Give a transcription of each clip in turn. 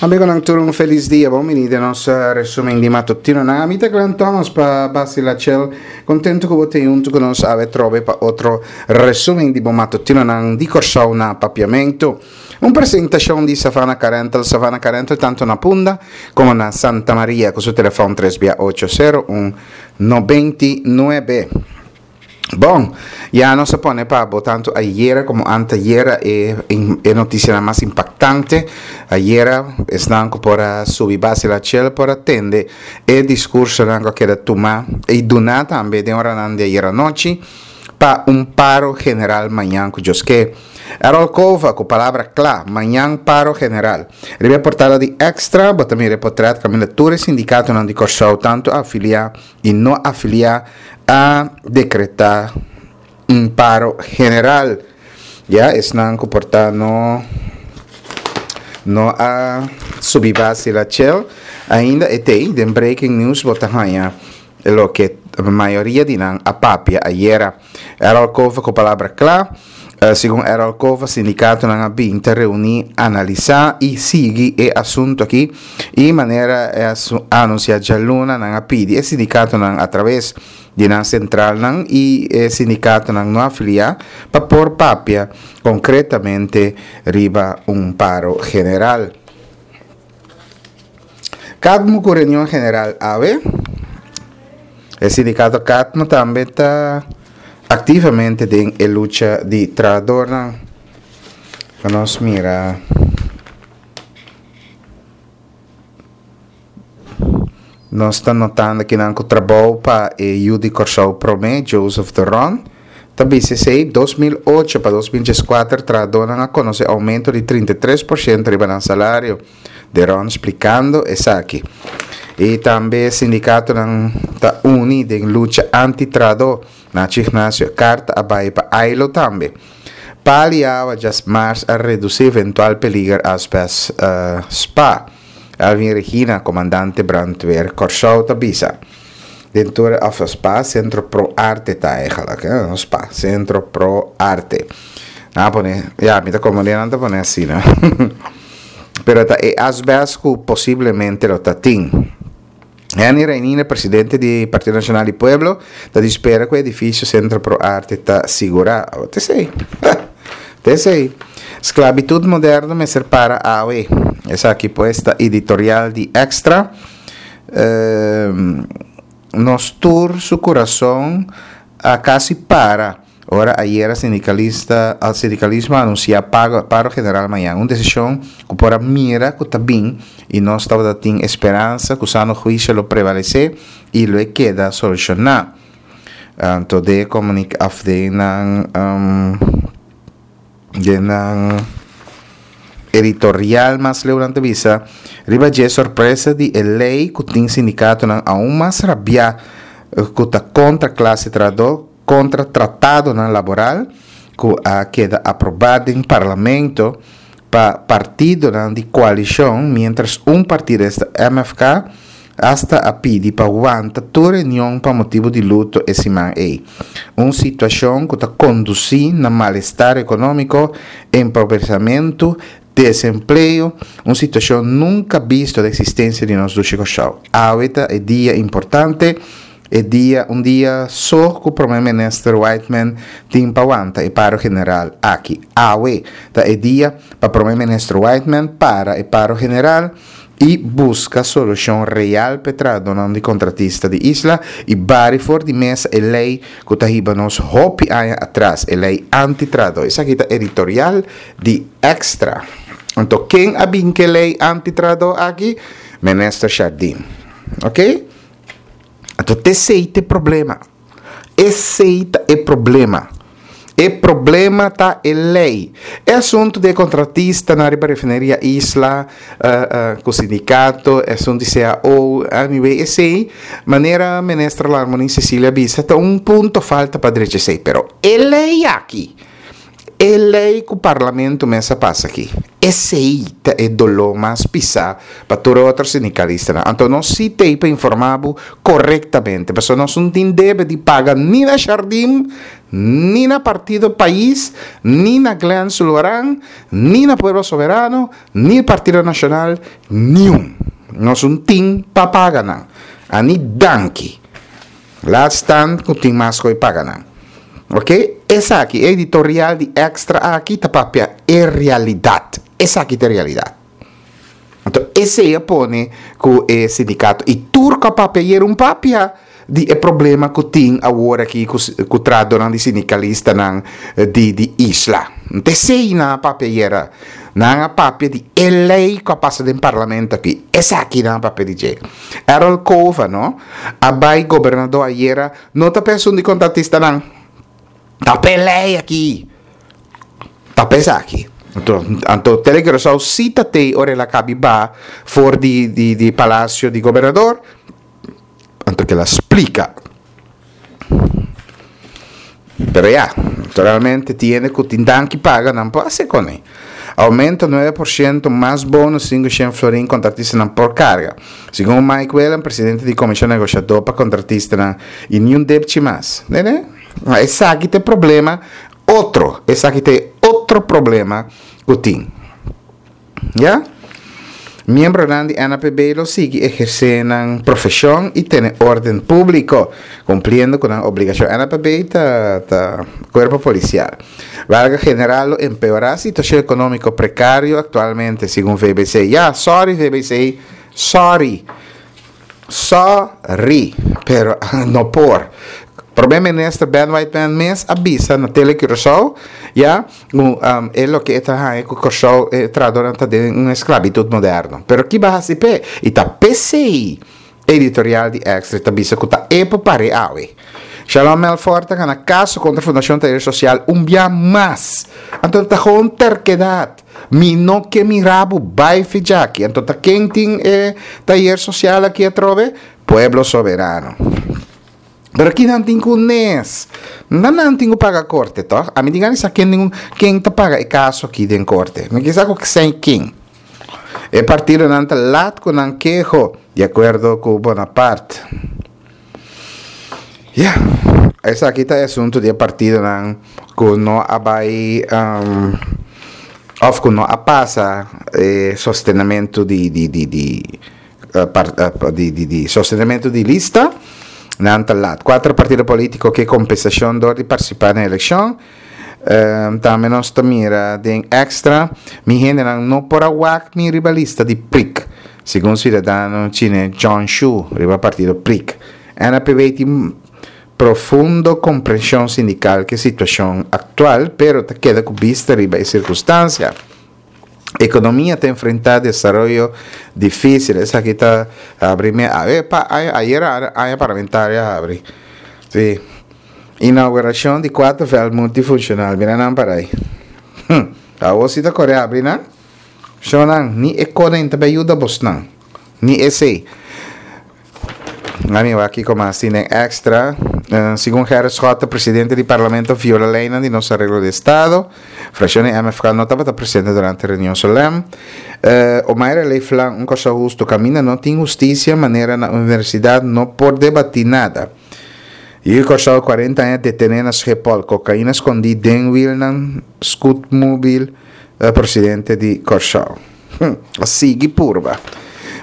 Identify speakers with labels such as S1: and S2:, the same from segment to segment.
S1: Amigonan tur un felis dia, bon bini den nos resumen di matutinonan. Ami ta Glenn Thomas pa Basi Lachel, contento cu bo ta hunto cu nos awe trobe pa otro resumen di bo matutinonan di Corsou na Papiamento. Un presentacion di Savannah Car Rental, Savannah Car Rental tanto na Punda como na Santa Maria cu su telefon tres bia ocho sero un 99. Bon, ya nos a pone pa bo tanto ayera como antayera e, e noticianan mas impactante. Ayera, esnan cu por a subi base la chel por a tende e discursonan cu a keda tuma y duna tambe den oranan di ayera nochi pa un paro general mañan cu Dios ke. Errol Cova cu palabra cla, mañan paro general. Riba e portada di Extra bo ta mira e potret caminda tur e sindicatonan di Corsou tanto afilia y no afilia a decreta un paro general. Ya esnan cu por ta no no a subi base la chel ainda e tey den breaking news bo ta haya loke mayoria di nan a papia ayera. Errol Cova cu palabra cla. Segun Errol Cova, sindicatonan a bin ta reuni, analisa y sigui e asunto aki y manera e a anuncia djaluna nan a pidi e sindicatonan a traves di nan centralnan y e sindicatonan no afilia pa por papia concretamente riba un paro general. Cadmo cu reunion general awe. E sindicato Cadmo tambe ta activamente den e lucha di trahadornan. Pa nos mira. Nos ta notando kinan cu trabou pa e yu di Corsou prome, Joseph de Ron, ta bisa esey, 2008 pa 2014 trahadornan a conoce aumento di 33% riba nan salario. De Ron splikando esaki. I tambe sindikatonan ta uni den lucha anti-trahadó. Nacho Ignacio e karta a bai pa Ailo tambe. Pal i awa djas mars a redusí eventual peliger asbest spa. Alvin Regina, komandante brandweer Kòrsou ta bisa. Den tur e òf spa, Sentro Pro Arte ta eigenlijk, hè, no spa, Sentro Pro Arte. Nan a pone, ya, mi ta komprendé nan ta pone asina. Pero ta e asbest ku posiblemente lo ta tin. Henny Reinina, presidente di Partido Nacional di Pueblo, ta di spera ku e edifisio Sentro Pro Arte ta sigurá. Awor ta esei. Ta esei. Sklabitut moderno mester para awe. Esaki pues ta editorial di Extra. Nos tur su kurason a kasi para ora ayera sindicalista sindicalismo a anuncia pago paro general mañan. Un decision cu por a mira cu ta bin y nos tabata tin e speransa cu sano huicio lo prevalece y lo e keda soluciona. Anto de comunica of de nan. Den nan editorial mas leu nan ta bisa riba dje sorpresa di e lei ku tin sindikatonan aun mas rabiá ku ta kontra klase trahadó, kontra tratadonan laboral ku a keda aprobá den parlamento pa partidonan di koalishon miéntras un partido esta MFK Asta a pidi pa wanta tur reunion pa motibu di luto e siman ei. Un situashon ku ta kondusí na malestar ekonómiko, empobreshamentu, desempleo, un situashon nunka bisto den eksistensia di nos dushi Kòrsou. Awe ta e dia importante, e dia un dia so ku Prome Minister Whiteman tin pa wanta e paro general aki. Awe ta e dia pa Prome Minister Whiteman para e paro general. i buska solushon real p'e trahadónan di kontratista di isla i bari for di mesa e lei ku ta hiba nos hopi aña atras, e lei anti-trahadó. Esaki ta editorial di Extra. Anto ken a bin k'e lei anti-trahadó aki? Minister Jardim. Ok? Anto t'esei t'e problema. Esey ta e problema. E problema ta e ley. E asunto di e contratistanan riba refineria Isla cu sindicato, e asunto di cao, anyway, esey, manera Minister Larmonie Cecilia a bisa, ta un punto falta pa drecha esey. Pero e ley aki, E lei ku parlamento mes a pasa aki, esei ta e doló mas pisá pa tur e otro sindikalistanan. Anto nos sí t'ei pa informá bo korektamente, pasobra nos no tin debe di paga ni na Jardim, Ni na partido Pais, ni na Glenn Sulvaran, ni na Pueblo Soberano, ni Partido Nashonal, niun. Nos un tin pa paga nan. Ani danki. Laat staan ku tin mas ku e paga nan. Ok, esaki, e editorial di Extra aki ta papia e realidat. Esaki ta e realidat. Anto esei a pone ku e sindikato i tur ku a papia ayer un papia di e problema ku tin awor aki ku ku tradonan di sindikalistanan di di isla. Anto esei nan a papia ayer. Nan a papia di e lei ku a pasa den parlamento aki. Esaki nan a papia di dje. Errol Cova no a bai gobernador ayera no ta pa esun di kontratistanan. Ta pa e lei aki. Ta pa esaki. Anto, anto Tele Curaçao sí ta tei ora el a kabi ba for di di di palacio di gobernador. Anto kila splika. Pero ya, naturalmente tiene ku tin danki paga nan por hasi kone. Aumento 9% mas bonus 500 florin kontratistanan por karga. Segun Mike Willem, presidente di komishon negoshadó pa kontratistanan, i niun depchi mas. Nene? Esaki ta e problema otro, esaki ta e otro problema ku tin. Ya. Miembronan di NAPB lo sigui ehersé nan profeshon i tene órden públiko, kumpliendo ku nan obligashon. NAPB ta ta kuerpo polisial. Wèlga general lo empeorá situashon ekonómiko prekario aktualmente, segun VBC. Ya, sòri VBC, sòri. Sorry, pero no por. Prome Minister Ben Whiteman mes a bisa na Tele Curaçao, ya, ku um, e loke e ta haña ku Kòrsou e trahadornan ta den un esklabitut moderno. Pero ki ba hasi p'e? I ta p'esei editorial di Extra ta bisa ku ta e por pare awe. Shalom Melfort ta gana kaso kontra Fundashon Tayer Sosial un bia mas. Anto ta gewoon terkedat. Mi no ke mira bo bai fijaki. Anto ta ken tin e tayer sosial aki atrobe? Pueblo Soberano. Pero ki nan tin ku nes? Na nan tin ku paga korte, tòg? Ami tin gana di sa ken tin ken ta paga e kaso aki den korte. Mi ke sa ku sèn ken. E partidonan ta lat ku nan keho, di akuerdo ku Bonaparte. Ya, esaki ta e asuntu di e partidonan ku no a bai òf ku no a pasa e sostenamentu di di di di di di sostenamentu di lista, nan ta lat. Kuater partido polítiko ke kompensashon dor di partisipá na elekshon. Tambe nos ta mira den extra, mi hendenan no por a wak mi riba lista di prik, segun siudadano chine John Shu riba partido prik. NAPB tin profundo komprenshon sindikal ku e situashon aktual, pero ta keda ku bista riba e sirkunstansia. Ekonomia ta enfrentá desaroyo difísil. Esaki ta habri mi awe pa ayer aña parlamentario a habri. Sí. Inaugurashon di kuater vèlt multifunshonal. Mira nan para ei. Hm. Awor si ta kore habri nan. Shonnan, ni e konen ta bai yuda bosnan. Ni esei. Ami wak kiko mas tin den extra. Segun Gerrit Schotte, presidente di parlamento viola leynan di nos areglo di estado. Fraccion di MFK no tabata presente durante reunion solem. Omaira Leeflang, un Kòrsou husto kaminda no tin hustisia manera na universidat no por debatí nada. Yu Kòrsou 40 aña detené na Schiphol, kokaina skondí den wielnan scootmobiel presidente di Kòrsou. A sigui purba.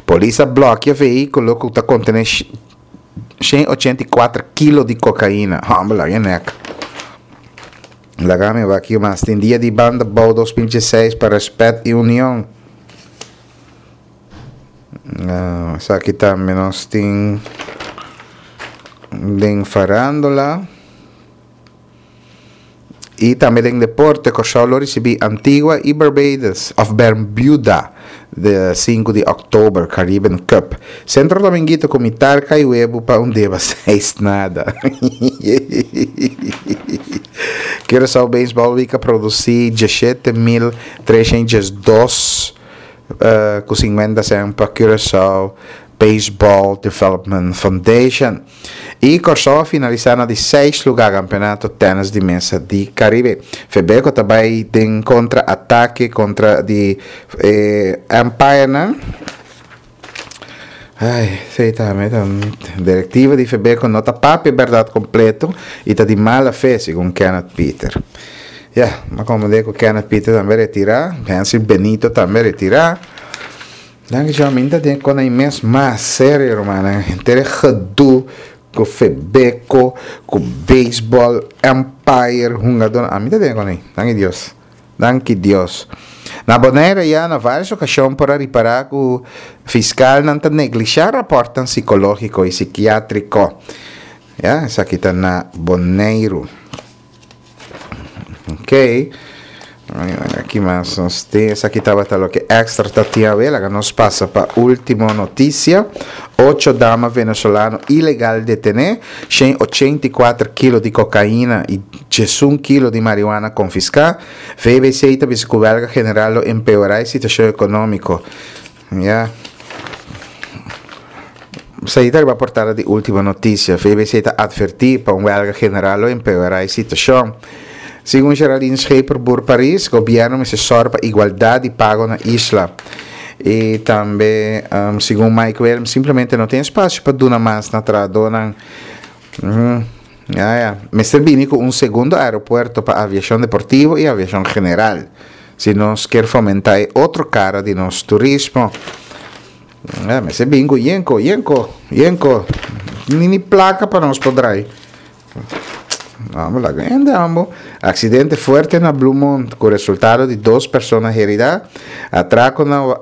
S1: Polis a blòkia vehíkulo ku ta kontené 184 kilo di kokaina. Hòmber, laga e nèk. Laga mi wak mas. Tin dia di banda bou 2016 pa rèspèt i union. Esaki tambe nos tin den farándula. I tambe den deporte, Kòrsou lo risibí Antigua i Barbados òf Bermuda de sinku di òktober, Caribbean Cup. Centro Dominguito ku mitar kai webu pa un deba seis nada. Curaçao Baseball Week a produsí 17.312 ku 50 sèn pa Curaçao Baseball Development Foundation. I Kòrsou a finalisá na di seis lugá kampeonato tènis di mesa di Karibe. Febeko ta bai den kontra atake kontra di e Empirenan. Ai, esei tambe ta un direktiva di Febeko no ta papia bèrdat kompleto i ta di mala fe, segun Kenneth Pieter. Ya, m'a komprendé ku Kenneth Pieter tambe retirá, Hensley Benito tambe retirá. Danki Señor, mi ta den kon ei mes mas serio, rumannan. Henter e gedoe ku Febeko, ku beisbòl, umpire, hungadónan, ami ta den kon ei. Danki Dios. Danki Dios. Na Bonaire ya na varios ocasion por a ripara cu fiscalnan ta neglisha raportnan psicologico y psiquiatrico. Ya, esaki ta na Boneiru. Ok. Aki mas nos tin. Esaki tabata loke extra ta tin awe. Laga nos pasa pa ultimo noticia. Ocho dama venezolano ilegal detene. 184 kilo di cocaína y 11 kilo di marihuana konfiská. VBC ta bisa ku wèlga general lo empeorá e situashon ekonómiko. Ya. Esei ta riba portada di Ultimo Noticia. VBC ta atvertí pa un wèlga general lo empeorá e situashon. Segun Geraldine Scheperboer Paris, gobièrnu mester sòru pa igualdat di pago na isla. I tambe, segun Mike Williams, simplemente no tin espasio pa duna mas na trahadónan. Ya ya. Mester bini ku un segundo aeropuerto pa aviashon deportivo i aviashon general, si nos kier fomentá e otro kara di nos turismo. Ya, mester bini ku yenko, yenko, yenko. Ni ni plaka pa nos por drai. Amo laga hende ambo. Aksidente fuerte na Bloemond ku resultado di dos persona heridá. Atrako na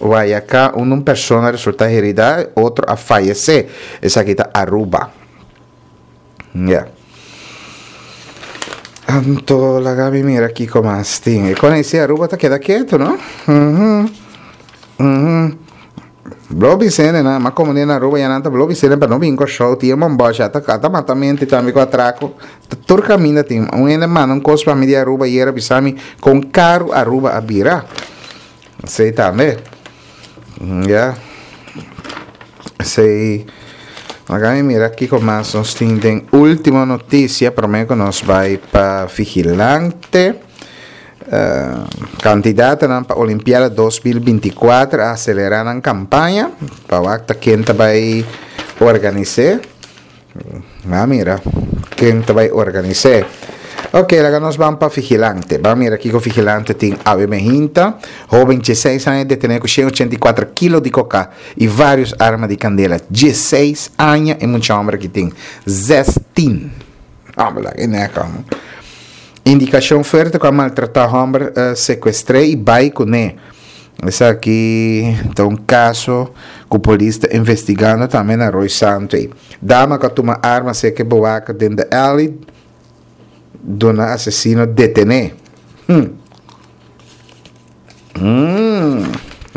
S1: Wayaká unda un persona resultá heridá, otro a fayesé. Esaki ta Aruba. Ya. Anto laga mi mira kiko mas tin. E kon ese Aruba ta keda ketu, no? Mhm. Mhm. Blo bisene na, ma komo na Aruba ya nan ta blo bisene pa no bin Kòrsou tin e bombòsh ata ata matamento tambe ku atrako. Ta tur kaminda tin. Un hende manda un kos pa mi di Aruba ayera bisa mi kon karu Aruba a bira. Esei tambe. Ya. Esei. Laga mi mira kiko mas nos tin den ultimo noticia prome ku nos bai pa Vigilante. Uh, kandidatonan pa Olimpiada 2024 a acelera nan kampaña pa wak ta ken ta bai organis'é. Ban mira ken ta bai organis'é. Ok, laga nos ban pa Vigilante. Ban mira kiko Vigilante tin awe mehinta. Hoben dieseis aña detené ku 184 kilo di koka i vários arma di kandela. Dieseis aña e mucha homber aki tin. Zestin. Homber laga e nèk homber. Indikashon fuerte ku a maltratá homber sekuestr'é i bai kuné. Esaki ta un kaso ku polis ta investigando tambe na Rooi Santo ei. Dama ku a tuma arma serka e bowaka den The Alley duna asesino detené. Hm. Hm.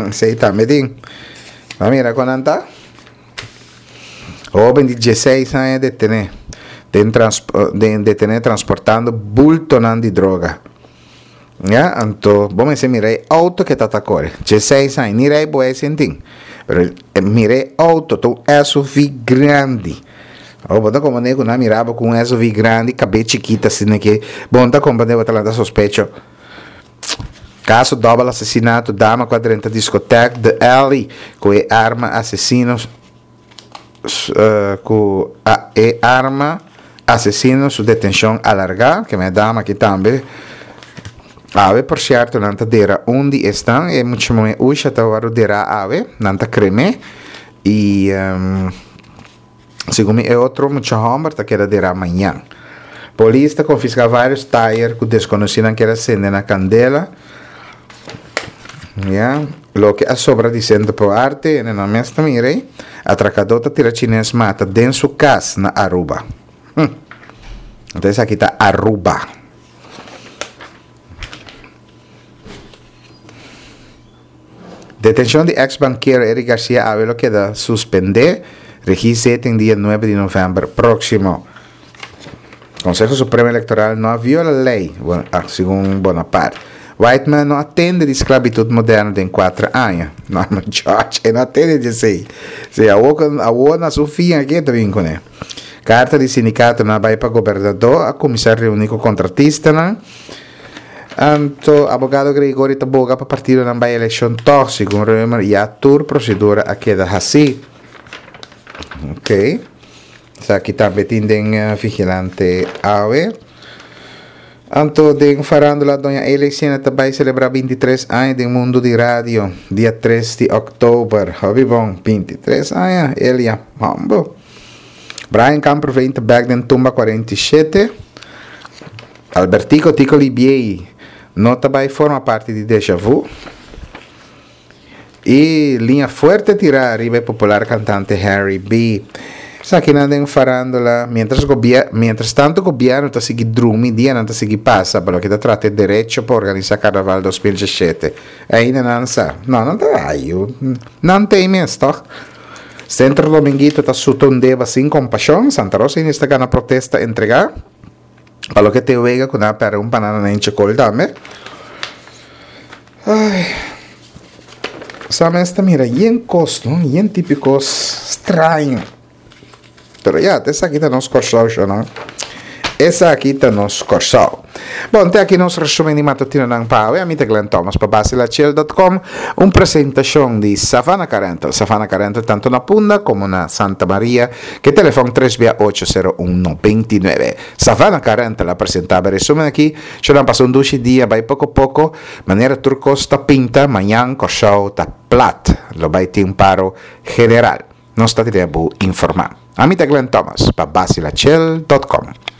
S1: Esei tambe tin. Bo a mira kon nan ta? Hoben di dieseis aña detené den den detené transportando bultonan di droga. Ya, anto bo mester mira e auto ke ta ta kore. Dieseis aña, ni rei bo ei sin tin. Pero mira e auto, ta un SUV grandi. Awor bo ta komprende ku nan mira bo ku un SUV grandi, kabes chikit asina ke bo no ta komprende bo ta lanta sospecho. Kaso dòbel asesinato, dama ku a drenta diskotek The Alley ku e arma asesino ku e arma asesino su detenshon alargá. Ke men dama aki tambe. Awe por sierto nan ta dera un di esnan, e mucha muhé Usha ta wòrdu derá awe, nan ta krem'é i segun mi e otro mucha hòmber ta keda derá mañan. Polis ta konfiská vários tayer ku deskonosínan kier a sende na kandela. Ya, loke a sobra di Sentro Pro Arte, hende nan mes ta mira ei. Atrakadó ta tira chines mata den su kas na Aruba. Hm. Anto esaki ta Aruba. Detenshon di eks bankero Eric Garcia awe lo keda suspendé, regí zeten dia nuebe di novèmber próksimo. Konseho Supremo Elektoral no a viola lei, segun Bonaparte. Whiteman no a tende di sklabitut moderno den kuater aña. Norman George e no a tende di esei. Si awor awor na su fin aki e ta bin kuné. Karta di sindikatonan a bai pa gobernadó a kuminsá reuní ku kontratistanan. Anto abogado Gregory ta boga pa partidonan bai elekshon tòg, segun Römer ya tur prosedura a keda hasí. Ok. Esaki tambe tin den Vigilante awe. Anto den farándula Doña Elecina ta bai selebrá 23 aña den mundu di radio dia 3 di òktober. Hopi bon, 23 aña, Elia, hombo. Brian Kamperveen ta bèk den tumba 47. Albertico Tico Libiey no ta bai forma parti di Deja Vu. E liña fuerte tirá riba e popular kantante Harry B. Esakinan den farándula, miéntras gobier, miéntras tantu gobièrnu ta sigui drumi, dianan ta sigui pasa pa loke ta trata e derecho pa organisá Karnaval 2017. Ainda nan sa. No, nan ta ayu. Nan t'ei mes, tòg? Centro Dominguito ta suta un deba sin kompashon, Santa Rosa Indios ta gana protesta entregá. Pa loke te wega ku nan a pèrdè un banana na hincha kol tambe. Ai. Sa mes ta mira yen kos, no? Yen tipo kos straño. Pero ya, esaki ta nos Kòrsou, shonnan. Esaki ta nos Kòrsou. Bon, te aki nos resumen di matutinonan pa awe. Ami ta Glenn Thomas pa basilachel.com. Un presentashon di Savannah Car Rental. Savannah Car Rental tanto na Punda komo na Santa Maria. Ke telefòn tres bia ocho sero un 99. Savannah Car Rental a presentá e resumen aki. Shonnan pasa un dushi dia bai poko poko. Manera tur kos ta pinta, mañan Kòrsou ta plat. Lo bai tin un paro general. Nos ta tene bo informá. Ami ta Glenn Thomas pa basilachel.com.